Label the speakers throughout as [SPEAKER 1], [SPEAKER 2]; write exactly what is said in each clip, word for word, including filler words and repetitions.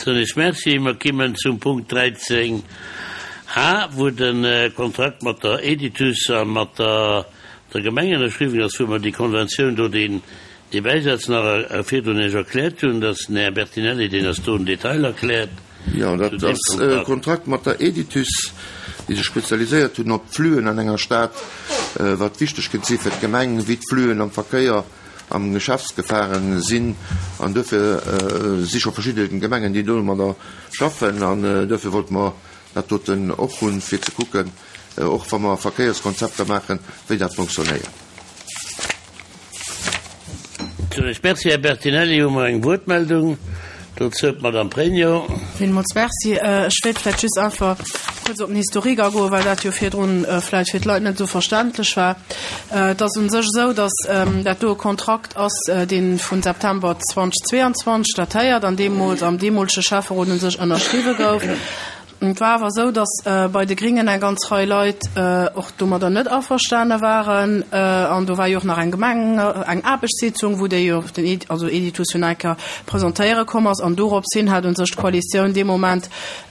[SPEAKER 1] Soen ech Merci. Mer kimmen zum Punkt dräizéng a, wou de Kontrakt mat der Editus a mat der der Gemeng ënnerschriwwen ass, wou mer déi Konventioun do, deen dee Bäisaz nach virdrun Iech erkläert hunn, dass den Här Bertinelli deen ass do en Detail erkläert
[SPEAKER 2] Jo,
[SPEAKER 1] zu
[SPEAKER 2] dat
[SPEAKER 1] deem
[SPEAKER 2] ass e
[SPEAKER 1] Kontrakt.
[SPEAKER 2] Kontrakt mat der Editus, déi sech spezialiséiert hunn op d'Fluen an enger Stad, wat wichteg kënnt si fir d'Gemeng, wéi d'Fluen am Verkéier, am Geschäftsgefahren sinn. An duerfir si scho verschidde Gemengen, déi domadder schaffen. An duerfir wollte mer dat doten och hunn, fir ze kucken, och wa mer Verkéierskonzepter maachen, wéi dat fonctionnéiert.
[SPEAKER 1] Merci, Här Bertinelli. Hu mer eng Wuertmeldung dozou? D'Madame Pregno.
[SPEAKER 3] Villmools merci. Ech wéilt vläicht just einfach kuerz op den Historique agoen, well dat jo virdrun vläicht fir d'Leit net esou verständlech war. Et ass u sech esou, datt dat do e Kontrakt ass, dee vu September zweitausendzweiundzwanzeg datéiert an deemools am deemolege Schäfferot u sech ënnerschriwwe gouf. Et war awer esou, datt bei de Gringen eng ganz Rei Leit och domadder net averstane waren. An do war jo och nach eng Gemeng, eng Aarbechtssitzung, wou déi jo den Ed, also Editus jo nach eng Kéier presentéiere komm ass. An dorops hin hat u sech d'Koalitioun dee Moment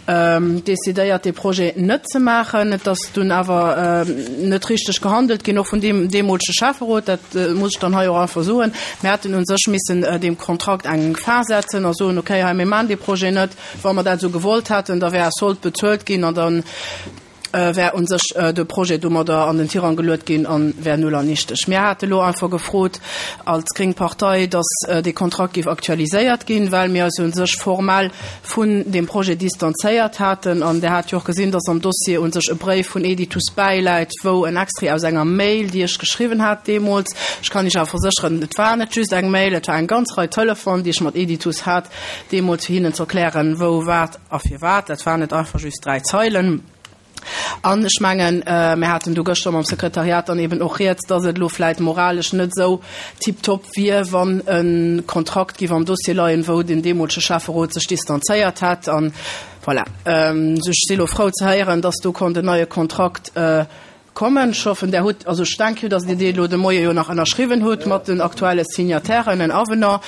[SPEAKER 3] decidéiert, dee Projet net ze maachen. Et ass dunn awer net richteg gehandelt ginn, och vun deem deemolege Schäfferot, dat muss ech dann hei och einfach soen. Mir hätten u sech missen deem Kontrakt eng Fin setzen a soen, okay, hei, mir maachen dee Projet net. Wa mer dat esou gewollt hätten, da wär e Sold bezuelt ginn an dann wär u sech de Projet domadder an den Tirang geluet ginn an wär null an nichteg. Mir hate lo einfach gefrot als gréng Partei, dass dee Kontrakt géif aktualiséiert ginn, well mir eis u sech formell vun deem Projet distanzéiert haten. An Der hat jo och gesinn, dass am Dossier u sech e Bréif vun Editus bäiläit, wou en Extrait aus enger Mail, déi ech geschriwwen hat deemools, ech kann Iech awer versécheren, et war net just eng Mail, et war eng ganz Rei Telefon, déi ech mat Editus hat deemools, fir hinnen ze erklären, wou, wat a firwat. Dat waren net einfach just dräi Zeilen. An ech mengen, mir haten do gëschter mam Sekretariat dann eben och rieds, dass et elo vläicht moralesch net esou tiptop wier, wann e Kontrakt géif am Dossier leien, wou den deemolege Schäfferot sech distanzéiert hätt. An voilà, ech si elo frou ze héieren, dass do konnt en neie Kontrakt kommen. Ech hoffen, Der hutt, also ech denke jo, dass Dir dee elo de Moie jo nach ënnerschriwwen hutt mat den aktuelle Signatairen, en Avenant.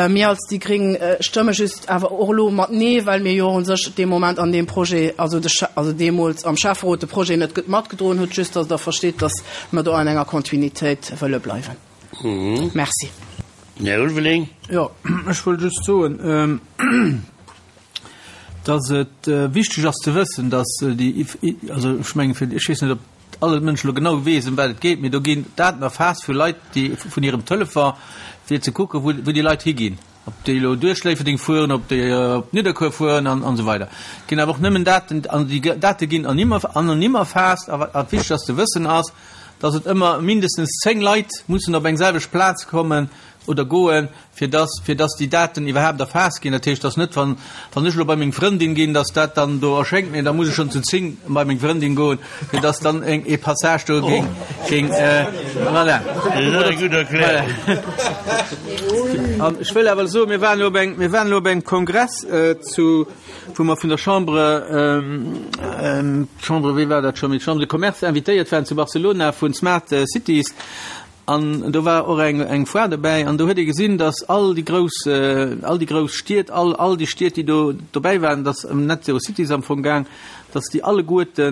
[SPEAKER 3] Mir als déi Gréng stëmme just awer och elo mat Nee, well mir jo u sech dee Moment an deem Projet, also de, also deemools am Schäfferot de Projet net matgedroen hutt, just dass Der versteet, dass mer do an enger Kontinuitéit wëlle bleiwen. Merci.
[SPEAKER 1] Här Ulveling.
[SPEAKER 4] Jo, ech wollt just soen, dass et wichteg ass ze wëssen, dass déi, also ech mengen, fir, ech weess net, ob alle Mënschen elo genau weess, ëm wat et geet, mee do ginn Daten erfaasst vu Leit, déi vun hirem Telefon, fir ze kucken, wou, wou déi Leit higinn, ob déi elo duerch Léifferdeng fueren, ob déi op Nidderkuer fueren an, an esou weider. Et ginn awer och nëmmen Daten, an déi Date ginn anonym, anonym erfaasst. A wat wichteg ass ze wëssen ass, dass et ëmmer mindestens zéng Leit mussen op eng selwecht Plaz kommen oder goen, fir dass, fir dass déi Daten iwwerhaapt erfaasst ginn. Dat heescht, dass net, wann, wann ech elo bei meng Frëndin ginn, dass dat dann do erschéngt, mee da muss ech schonn zu zéng bei meng Frëndin goen, fir dass dann eng, ee Passage do géing, géing, voilà.
[SPEAKER 1] Dat ass eng gutt Erklärung.
[SPEAKER 4] An ech wëll awer soen, mir waren elo op eng, mir waren elo op engem Kongress zu, wou mer vun der Chambre, Chambre, wéi war dat scho méi, Chambre de Commerce invitéiert waren zu Barcelona vun Smart Cities. An do war och eng, eng Foire dobäi an do huet ee gesinn, datt all déi grouss, all déi grouss Stied, all, all déi Stied, déi do dobäi waren, datt ëm Net Zero Cities am Fong gaang, datt déi alleguerte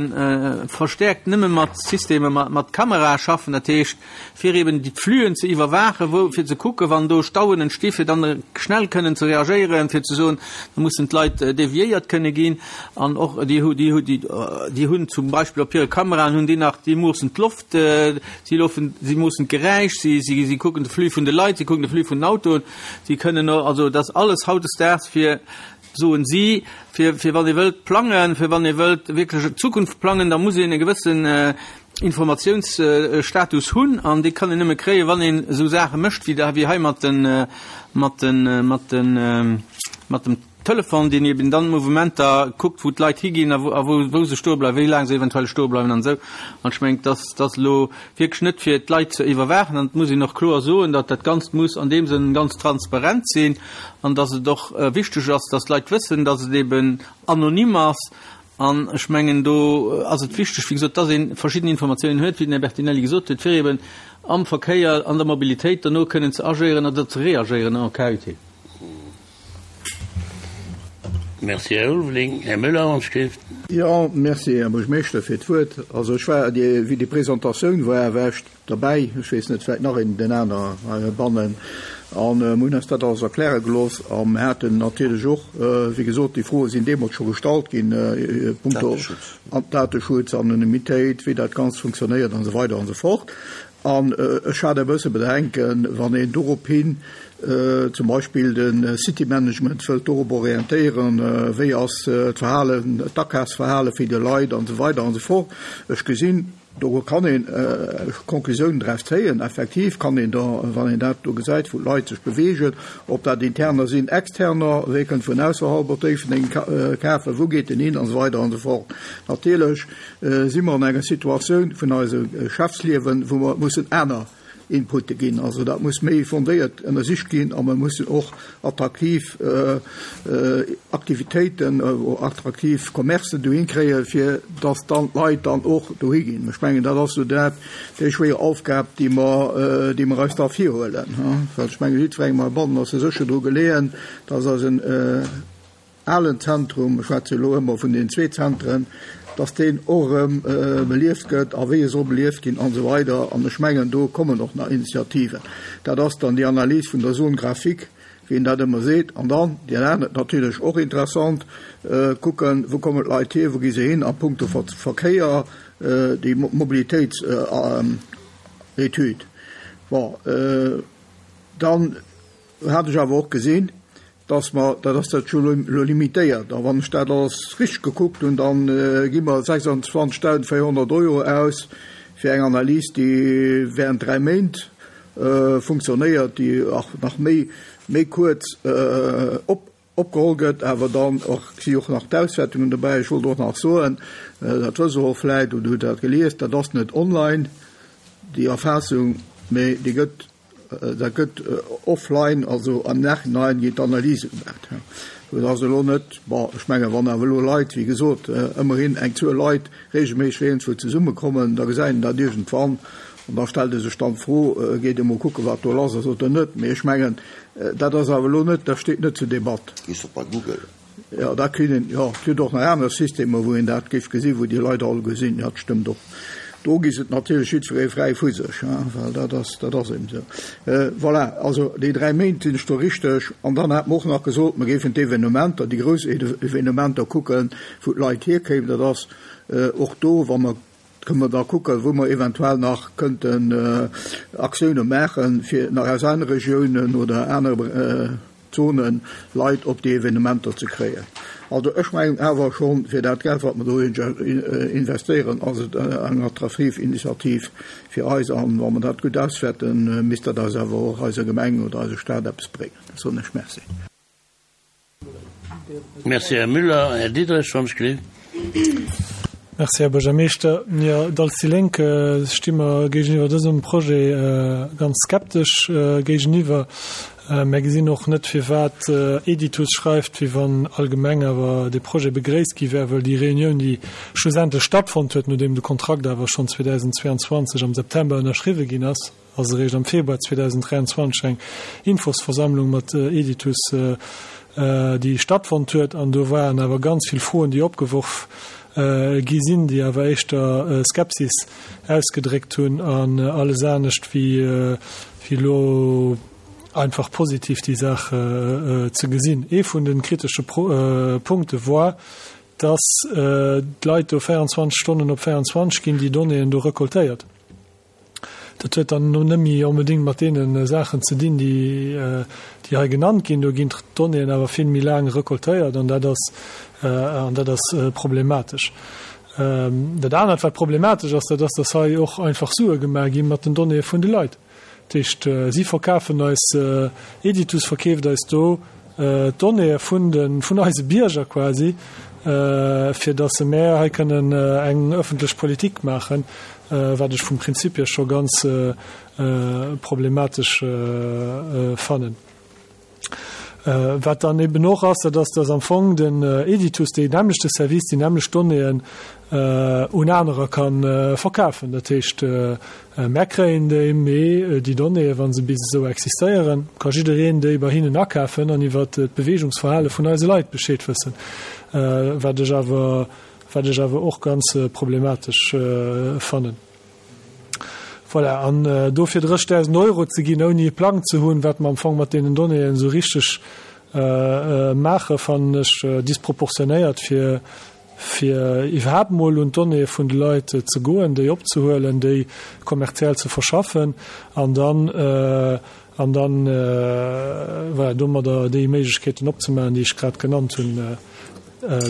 [SPEAKER 4] verstäerkt nëmme mat Systemer, mat, mat Kamerae schaffen, dat heescht, fir eben déi d'Flüen ze iwwerwaachen, wou, fir ze kucken, wann do Stauen entsti fir dann schnell kënnen ze reagéieren, fir ze soen, da mussen d'Leit deviéiert kënne ginn. An och déi hu, déi hu, déi, déi hunn zum Beispill op hire Kameraen hunn déi nach, déi moossen d'Loft, si loofen, si moossen d'Geräisch, si, si, si kucken de Flux vun de Leit, si kucken de Flux vun den Autoen, si kënnen och, also dat ass alles hautdesdaags fir, soen si, fir, fir wann ee wëllt plangen, fir wann ee wëllt wierklech d'Zukunft plangen, da muss een e gewëssen Informatiounsstatus hunn an dee kann een nëmme kréien, wann een esou Saache mécht wéi da, wéi hei mat den, mat den, mat den, mat dem Telefon, deen eben dann d'Mouvementer kuckt, wou d'Leit higinn a wou, a wou, wou se stoe bleiwen, wéi laang se eventuell stoe bleiwen an esou. An ech mengen, dass dat elo wierklech net fir d'Leit ze iwwerwaachen an et muss een och kloer soen, datt dat Ganzt muss an deem Sënn ganz transparent sinn an datt et och wichteg ass, datt d'Leit wëssen, datt et eben anonym ass. An ech mengen, do ass et wichteg, wéi gesot, datt ee verschidden Informatiounen huet, wéi den Här Bertinelli gesot huet, fir eben am Verkéier, an der Mobilitéit derno kënnen ze agéieren oder ze reagéieren en cas utile.
[SPEAKER 1] Merci, Här Ulveling. Här Müller, ons Schrift.
[SPEAKER 5] Jo, merci, Här Buergermeeschter, fir d'Wuert. Also ech war, déi, wéi déi Presentatioun war, war ech derbäi, ech weess net, vläicht nach een, den aner heibannen, an mir hunn eis dat alles erkläre gelooss a mir haten natierlech och, wéi gesot, déi Froe sinn deemools scho gestallt ginn, punkto Dateschutz, Anonymitéit, wéi dat Ganzt funktionéiert an esou weider an esou fort. An ech hat e bësse Bedenken, wann een dorop hin zum Beispill de City Management wëllt dorop orientéieren, wéi ass d'Verhalen, d'Akafsverhale vun de Leit an esou weider an esou fort. Ech gesinn, do kann een Konklusiounen draus zéien. Effektiv kann een da, wann een dat do gesäit, wou d'Leit sech beweegen, ob dat Interner sinn, Externer, wee kënnt vun ausserhalb op Déifferdeng kafen, wou geet en hin an esou weider an esou fort. Natierlech si mer an enger Situatioun vun eisem Geschäftsliewen, wou mer mussen aner Inputte ginn. Also dat muss méi fondéiert ënnersicht ginn a mer mussen och attraktiv Aktivitéiten, attraktiv Commercen dohin kréien, fir dass dann d'Leit dann och dohi ginn. Ech mengen, dat ass esou dat, déi schwéier Aufgab, déi mer, déi mer eis da virhuelen. Well ech mengen, jiddwerengem heibannen ass jo sécher dru geleeën, dass eisen alen Zentrum, ech schwätze elo ëmmer vun den zwee Zentren, dass deen och erëm belieft gëtt a wéi e soll belieft ginn an esou weider. An ech mengen, do kommen och nach Initiativen. Dat ass dann déi Analys vun der Zone graphique, wéi een dat ëmmer seet. An dann, déi aner, natierlech och interessant, kucken, wou kommen d'Leit hier, wou gi se hin a puncto Verkéier, déi Mobilitéitsetüd. Bon, dann hat ech awer och gesinn, dass mer, dat ass dat jo elo limitéiert, a wann ech dat alles richteg gekuckt hunn, da gi mer sechsundzwanzigtausendvéierhonnert Euro aus fir eng Analys, déi während dräi Méint funktionéiert, déi och nach méi, méi kuerz op, opgeholl gëtt, awer dann och si och nach d'Auswäertungen dobäi. Ech wollt och nach soen, dat wësst Der och vläicht oder hutt dat gelies, dat ass net online, déi Erfaassung, mee déi gëtt, dat gëtt offline, also am Nachhinein ginn d'Analyse gemaach. Dat ass elo net, bon, ech mengen, wann awer elo Leit, wéi gesot, ëmmerhin eng Zuel Leit regelméisseg iergendwou zesummekommen, da gesäit een dat iergendwann an da stellt ee sech dann d'Fro, geet ee mol kucken, wat do lass ass oder net. Mee ech mengen, dat ass awer elo net, dat steet net zur Debatt.
[SPEAKER 2] Gees op bei Google.
[SPEAKER 5] Jo, da kritt een, jo, et gëtt och nach aner Systemer, wou een dat géif gesinn, wou déi Leit all gesinn. Jo, dat stëmmt och. Do gi se natierlech jiddweree fräi vu sech, well dat ass, dat ass eben esou. Voilà, also déi dräi Méint sinn ech do richteg. An dann hat mer och nach gesot, mer géifen d'Evenementer, déi grouss Evenementer kucken, wou d'Leit hierkéimen. Dat ass och do, wa mer, kënne mer da kucken, wou mer eventuell nach kënnten Aktioune maachen, fir nach aus anere Regiounen oder anere Zonen Leit op déi Evenementer ze kréien. Also ech mengen awer schonn, fir dat Geld, wat mer do investéieren, ass et eng attraktiv Initiativ fir eis. An wa mer dat gutt auswäerten, misst dat eis awer och eiser Gemeng oder eiser Stad eppes bréngen. Da soen ech Merci.
[SPEAKER 1] Merci, Här Müller. Här Diderich, wann ech gelift.
[SPEAKER 6] Merci, Här Buergermeeschter. Jo, als déi Lénk sti mer géigeniwwer dësem Projet ganz skeptesch géigeniwwer. Mär gesinn och net, firwat Editus schreift, wéi wann allgemeng awer dee Projet begréisst gi wär, well déi Reunioun, déi schlussendlech stattfonnt huet, nodeem de Kontrakt awer schonn zweedausendzweeanzwanzeg am September ënnerschriwwe ginn ass, ass eréischt am Februar zweedausenddräianzwanzeg eng Infosversammlung mat Editus, déi stattfonnt huet. An do waren awer ganz vill Froen, déi opgeworf gi sinn, déi awer éischter Skepsis ausgedréckt hunn an alles anescht wéi elo einfach positiv déi Saach ze gesinn. Ee vun de kritesche Punkte war, dass d'Leit do véierundzwanzeg Stonnen op véierundzwanzeg ginn déi Donnéeën do recoltéiert. Dat huet dann net méi onbedéngt mat deene Saachen ze dinn, déi déi hei genannt ginn. Do ginn d'Donnéeën awer vill méi laang recoltéiert an dat ass, an dat ass problematesch. Dat anert, wat problematesch ass, dat ass, dass hei och einfach Sue gemaach gi mat den Donnéeë vun de Leit. Dat heescht, si verkafen eis, Editus verkeeft eis do d'Donnéeë vun de, vun eise Bierger quasi, fir dass se mär hei kënnen eng ëffentlech Politik maachen, wat ech vum Prinzip hier scho ganz problematesch fannen. Wat dann eben och ass, dat ass, dass am Fong den Editus deen nämmlechte Service, déi nämmlecht Donnéeën un anerer ka verkafen. Dat heescht, mär kréien déi, mee déi Donnéeën, wa se bis esou existéieren, ka jiddereen déi bei hinnen akafen an iwwert d'Beweegungsverhale vun eise Leit Bescheed wëssen, wat ech awer, wat ech awer och ganz problematesch fannen. Voilà, an dofir dréchdausend Euro ze ginn, ouni e Plang ze hunn, wat mer am Fong mat deenen Donnéeën esou richteg maachen, fannen ech disproportionéiert, fir fir iwwerhaapt mol un d'Donnéeë vun de Leit ze goen, déi opzehuelen, déi kommerziell ze verschaffen an dann an dann voilà, domadder déi Méiglechkeeten opzemaachen, déi ech grad genannt hunn.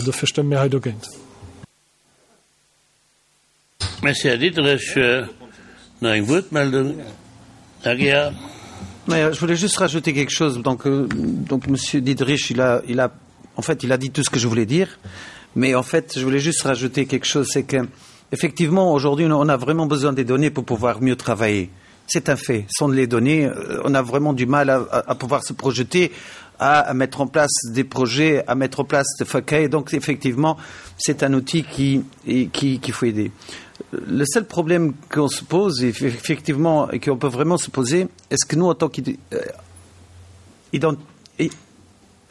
[SPEAKER 6] Dofir stëmme mir hei dogéint.
[SPEAKER 1] Merci, Här Diderich. Nach eng Wuertmeldung? Här Gira.
[SPEAKER 7] Naja, je voulais juste rajouter quelque chose. Donc, euh, donc Monsieur Diderich, il a, il a, en fait, il a dit tout ce que je voulais dire. Mais en fait, je voulais juste rajouter quelque chose, c'est que, effectivement, aujourd'hui, on a vraiment besoin des données pour pouvoir mieux travailler. C'est un fait. Sans les données, euh, on a vraiment du mal à, à, à pouvoir se projeter, à, à mettre en place des projets, à mettre en place des faquets. Donc, effectivement, c'est un outil qui, qui, qu'il faut aider. Le seul problème qu'on se pose, effectivement, et qu'on peut vraiment se poser, est-ce que nous, en tant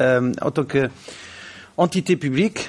[SPEAKER 7] euh, en tant qu'entité publique,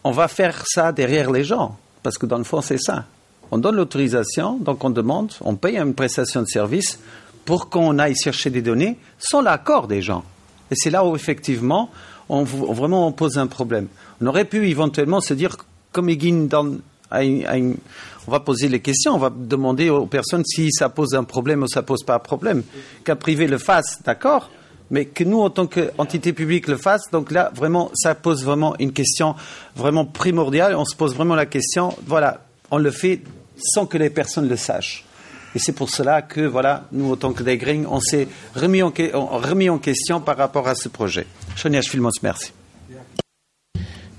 [SPEAKER 7] on va faire ça derrière les gens Parce que dans le fond, c'est ça. On donne l'autorisation, donc on demande, on paye une prestation de service pour qu'on aille chercher des données sans l'accord des gens. Et c'est là où, effectivement, on, vraiment on pose un problème. On aurait pu éventuellement se dire, comme Eguin dans on va poser les questions, on va demander aux personnes si ça pose un problème ou ça pose pas un problème. Qu'un privé le fasse, d'accord, mais que nous, en tant qu'entité publique, le fasse, donc là, vraiment, ça pose vraiment une question vraiment primordiale. On se pose vraiment la question, voilà, on le fait sans que les personnes le sachent. Et c'est pour cela que, voilà, nous, en tant que Degring, on s'est remis en, remis en question par rapport à ce projet. Sonia Filmos, merci.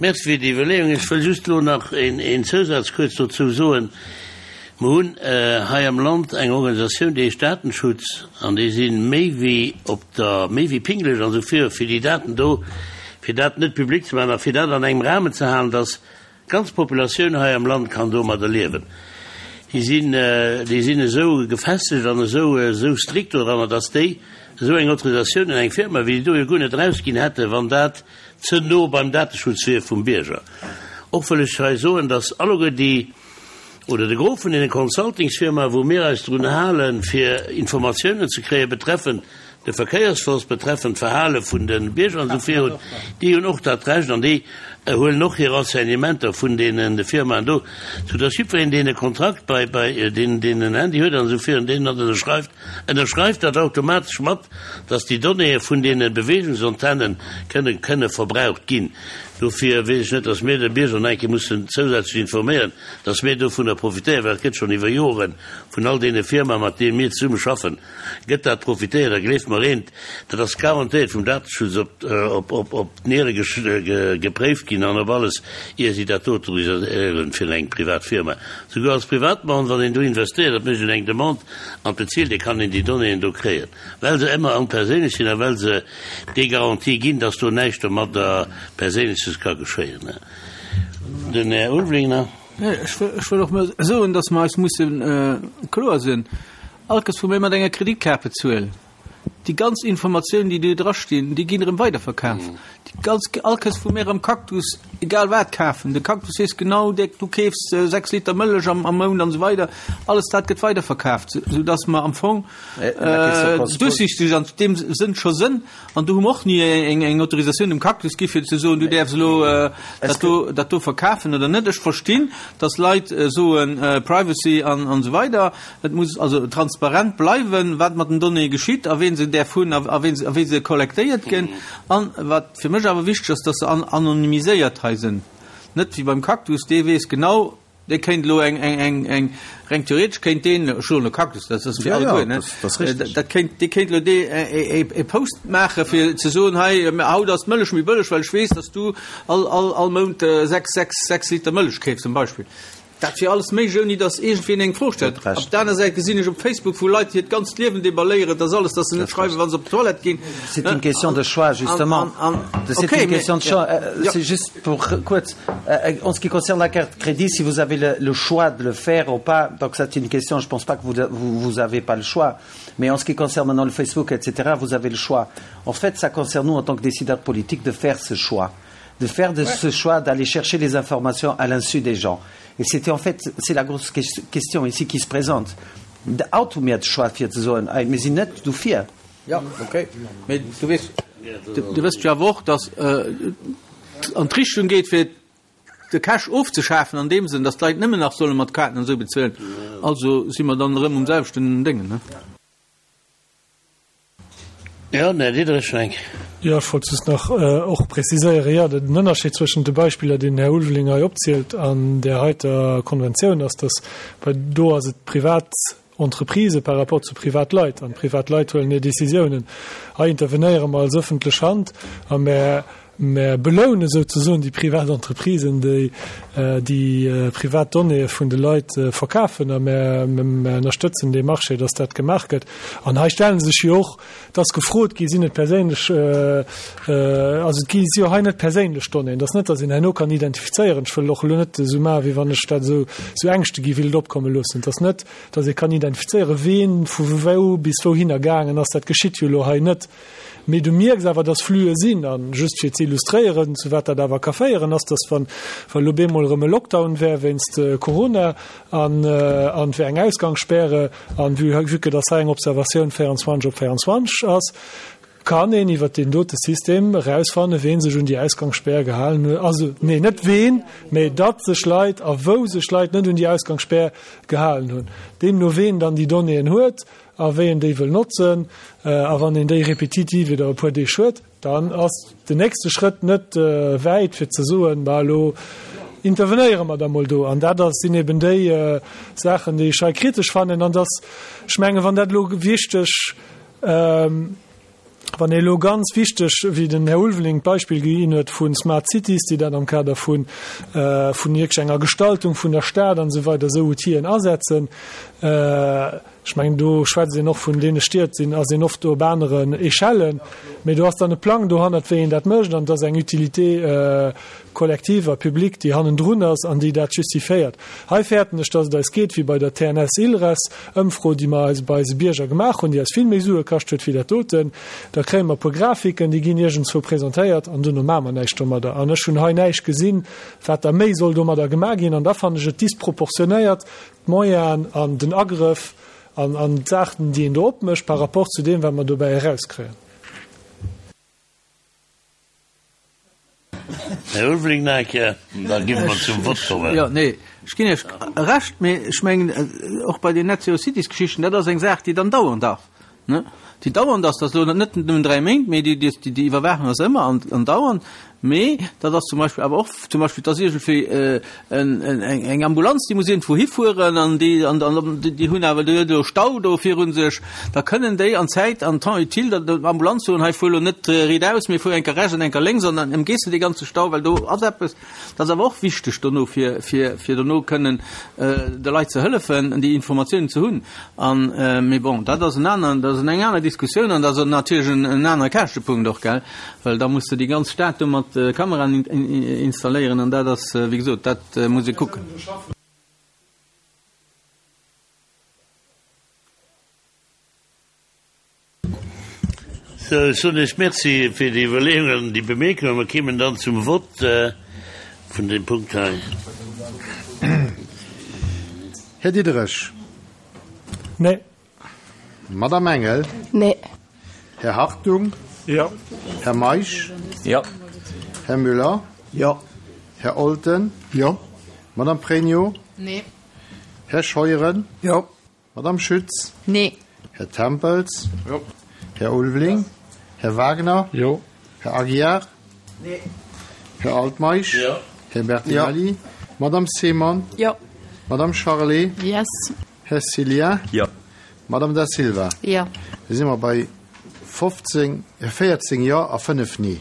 [SPEAKER 1] Merci fir déi Iwwerleeung. Ech wëll just elo nach een Zousaz kuerz dozou soen. Mer hunn hei am Land eng Organisatioun, déi heescht Datenschutz, an déi si méi wéi op der, méi wéi pingelech an esou vir, fir déi Daten do, fir dat net public ze maachen a fir dat an engem Rahmen ze halen, dass d'ganz Populatioun hei am Land kann domadder liewen. Déi sinn, déi sinn esou gefestegt an esou, esou strikt doranner, dass déi esou eng Autorisatioun un eng Firma wéi déi do jo guer net erausginn hätten, wann dat ze no beim Dateschutz wier vum Bierger. Och wëll ech hei soen, dass alleguer déi, oder de Gros vun deene Consultingsfirmae wou mir eis drun halen, fir Informatiounen ze kréie betreffend de Verkéiersfloss, betreffend d'Verhale vun de Bierger an esou virun, déi hunn och dat Recht an déi huelen och hir Renseignementer vun deenen Firmaen do, soudass jiddwereen, deen e Kontrakt bei, bei, deen, deen en Handy huet an esou virun, deen dat ënnerschreift, ënnerschreift dat automatesch mat, dass déi Donnéeë vun deene Beweegungsantenne kënne, kënne verbraucht ginn. Dofir weess ech net, dass mir de Bierger nach eng Kéier mussen zousätzlech informéieren, dass mir dovunner profitéieren, well et gëtt schonn iwwer Jore vun all deene Firmae, mat deene mir zesumme schaffen, gëtt dat profitéiert. A gleeft mer eent, dat ass garantéiert vum Dateschutz op, op, op d'Niere gepréift ginn an op alles, ier si dat do autoriséieren fir eng privat Firma. Souguer als Privatmann, wann een do investéiert, dat mécht een eng Demande an bezilt, da kann een déi Donnéeën do kréien, well se ëmmer am perséinlech sinn a well se déi Garantie ginn, dass do näischt domadder Perséinleches ka geschéien. Den Här Ulveling nach.
[SPEAKER 4] Ech wëll och mol soen, dass mer eis musse kloer sinn, All Kéiers wou mir mat enger Kreditkaart bezuelen, déi ganz Informatiounen, déi do drastinn, déi ginn erëm weiderverkaf. Déi ganz, all Kéiers wou mir am Cactus egal wat kafen, de Cactus weess genau, du keefs sechs Liter Mëllech am Mount an esou weider, alles dat gëtt weiderverkaaft, soudass mer am Fong duerchsichteg an deem Sënn scho sënn. An do hu mer och ni eng Autorisatioun dem Cactus gi fir ze soen, du däerfs elo dat do, dat do verkafen oder net. Ech verstinn, datt Leit soen, Privacy an esou weider, et muss also transparent bleiwen, wat mat den Donnéeë geschitt a ween se däerf hunn a wéi se kollektéiert ginn. An wat fir mech awer wichteg ass, datt se anonymiséiert hei sinn, net wéi beim Cactus, dee weess genau, Dee kéint elo eng, eng, eng, eng, reng theoretesch kéint deen, ech soen elo Cactus, dat ass fir alleguer, ne? Dat kéint, dee kéint elo dee e Post maache fir ze soen, hei, haut ass d'Mëllech méi bëlleg, well ech weess, dass du all, all, all Mount sechs, sechs, sechs Liter Mëllech keefs, zum Beispill. Dat wier alles méiglech, ouni datt iergendween eng Fro stellt. Op der aner Säit gesinn ech op Facebook, wou Leit hiert ganzt Liewen deballéieren, dass alles, dass se net schreiwen, wa se op d'Toilette ginn.
[SPEAKER 7] C'est une question de choix, justement. C'est une question de choix. C'est juste pour kuerz, en ce qui concerne la carte crédit, si vous avez le choix de le faire ou pas, donc ça c'est une question, je pense pas que vous vous avez pas le choix. Mais en ce qui concerne maintenant le Facebook, et cetera, vous avez le choix. En fait, ça concerne nous, en tant que décideurs politiques, de faire ce choix. De faire de ce choix, d'aller chercher les informations à l'insu des gens. Et c'était en fait, c'est la grosse question ici qui se présente. Haut hu mir de Choix fir ze soen, ey, mir sinn net dofir.
[SPEAKER 4] Ja, okay. Mee du weess, du wësst jo awer och, datt an d'Richtung geet, fir de Cash ofzeschafen an deem Sënn, datt d'Leit nëmmen nach solle mat Kaarten an esou bezuelen. Also si mer dann erëm um selwechten Déngen, ne?
[SPEAKER 1] Jo, den Här Diderich, meng.
[SPEAKER 6] Jo, ech wollt just nach och preziséieren, jo, den Ënnerscheed zwëschent de Beispiller, déi den Här Ulveling hei opzielt, an där heiter Konventioun ass, dass bei do ass et privat Entreprisë par rapport zu Privatleit, an d'Privatleit huelen hir Décisiounen. Hei intervenéiere mer als öffentlech Hand a mer mer beloune souzesoen déi privat Entreprisen, déi déi privat Donnéeë vun de Leit verkafen, a mer ënnerstëtzen dee Marché, dass dat gemaach gëtt. An hei stelle sech jo och, et ass gefrot gi, sinn et perséinlech, also et gi si jo hei net perséinlech Donnéeën, et ass net, dass een herno kann identifizéieren, ech wëll och elo net esou maachen, wéi wann ech dat esou, esou Ängschte gi wéilt opkomme loossen, et ass net, dass ee kann identifizéieren, ween vu wou bis wouhinner gaangen ass, dat geschitt jo elo hei net. Mee du mierks awer, dass Flüe sinn. A just fir ze illustréieren, zu wat dat awer ka féieren, ass, dass wann wa lo bemol erëm e Lockdown wär wéinst Corona an an et wär eng Ausgangsspäre an vue vue que dass hei eng Observatioun véierundzwanzeg op véierundzwanzeg ass, kann een iwwert deen dote System erausfannen, ween sech un déi Ausgangsspär gehalen huet. Also, nee, net ween, mee datt sech Leit a wou sech Leit net un déi Ausgangsspär gehalen hunn. Deemno ween dann déi Donnéeën huet, A wéi een déi wëll notzen. A wann een déi répétitiv iwwer e puer Deeg huet, dann ass den nächste Schrëtt net wäit, fir ze soen, Bah, elo intervenéiere mer da mol do. An dat ass, sinn eben déi Saachen, déi ech hei kritesch fannen. An dass, ech mengen, wann dat elo wichteg, wann ee elo ganz wichteg, wéi den Här Ulveling d'Beispill ginn huet vu Smart Cities, déi dat am Kader vun wierklech enger Gestaltung vun der Stad an esou weider esou Outiller asetzen, ech mengen, do schwätzt een och vun deene Stied, sinn, ass een oft op aneren Echellen, mee do ass dann e Plang dohannert, wéi een dat mécht, an et ass eng Utilité collective a publique, déi hannendrun ass an déi dat justifiéiert. Hei fäerten ech, dass et eis geet wéi bei der T N S-ILReS-Ëmfro, déi mer eis bei eise Bierger gemaach hunn, déi eis vill méi Sue kascht huet wéi dat doten. Da kréie mer e puer Grafiken, déi ginn iergendzwou presentéiert an duerno maache mer näischt domadder. An ech hunn hei näischt gesinn, wat da méi soll domadder gemaach ginn. An da fannen ech et disproportionéiert, d'Moyenen an den Agrëff an an d'Saachen, déi een do opmécht, par rapport zu deem, wat mer dobäi erauskréien.
[SPEAKER 1] Här Ulveling nach eng Kéier, da gi mer zum Vott kommen.
[SPEAKER 4] Jo, nee, ech ginn Iech Recht, mee ech mengen, och bei den Net-Zero-Cities-Geschichten, dat ass eng Saach, déi dann dauernd ass, ne? Déi dauernd ass, dat ass elo net nëmmen dräi Méint, mee déi, déi, déi Iwwerwaachung ass ëmmer an, andauernd. Mee dat ass zum Beispill awer och zum Beispill, dass iergendwéi eng Ambulanz, déi muss iergendwou hifueren an déi, an déi hunn awer, déi huet elo Stau do viru sech, da kënnen déi an Zäit, an Temps utile der Ambulanz soen, hei fuer elo net riitaus, mee fuer eng Kéier rechts an eng Kéier lénks an dann ëmgees de dee ganze Stau, well do ass eppes. Dat ass awer och wichteg dono, fir, fir, fir dono kënnen de Leit ze hëllefen, déi Informatiounen ze hunn. An, mee bon, dat ass en aneren, dat ass eng aner Diskussioun an dat ass natierlech en, en anere Käschtepunkt och, gell, well da muss de déi ganz Stad do mat Kameraen installéieren an dat ass, wéi gesot, dat muss ee kucken.
[SPEAKER 1] Sou, ech soen Iech Merci fir déi Iwwerleeungen an déi Bemierkungen. Mer kéimen dann zum Vott vun deem Punkt hei.
[SPEAKER 8] Här Diderich.
[SPEAKER 6] Nee.
[SPEAKER 8] Madame Engel.
[SPEAKER 3] Nee.
[SPEAKER 8] Här Hartung.
[SPEAKER 6] Jo.
[SPEAKER 8] Här Meisch.
[SPEAKER 4] Jo.
[SPEAKER 8] Här Müller.
[SPEAKER 5] Jo.
[SPEAKER 8] Här Olten.
[SPEAKER 5] Jo.
[SPEAKER 8] Madame Pregno.
[SPEAKER 3] Nee.
[SPEAKER 8] Här Scheuren.
[SPEAKER 5] Jo.
[SPEAKER 8] Madame Schütz.
[SPEAKER 3] Nee.
[SPEAKER 8] Här Tempels.
[SPEAKER 5] Jo.
[SPEAKER 8] Här Ulveling. Här Wagner.
[SPEAKER 6] Jo.
[SPEAKER 8] Här Aguiar.
[SPEAKER 4] Nee.
[SPEAKER 8] Här Altmeisch.
[SPEAKER 1] Jo.
[SPEAKER 8] Här Bertinelli.
[SPEAKER 5] Jo.
[SPEAKER 8] Madame Seemann.
[SPEAKER 3] Jo.
[SPEAKER 8] Madame Charlé.
[SPEAKER 3] Yes.
[SPEAKER 8] Här Cillien.
[SPEAKER 9] Jo.
[SPEAKER 8] Madame Da Silva.
[SPEAKER 3] Jo.
[SPEAKER 8] Da si mer bei fofzéng, véierzéng Jo a fënnef Nee.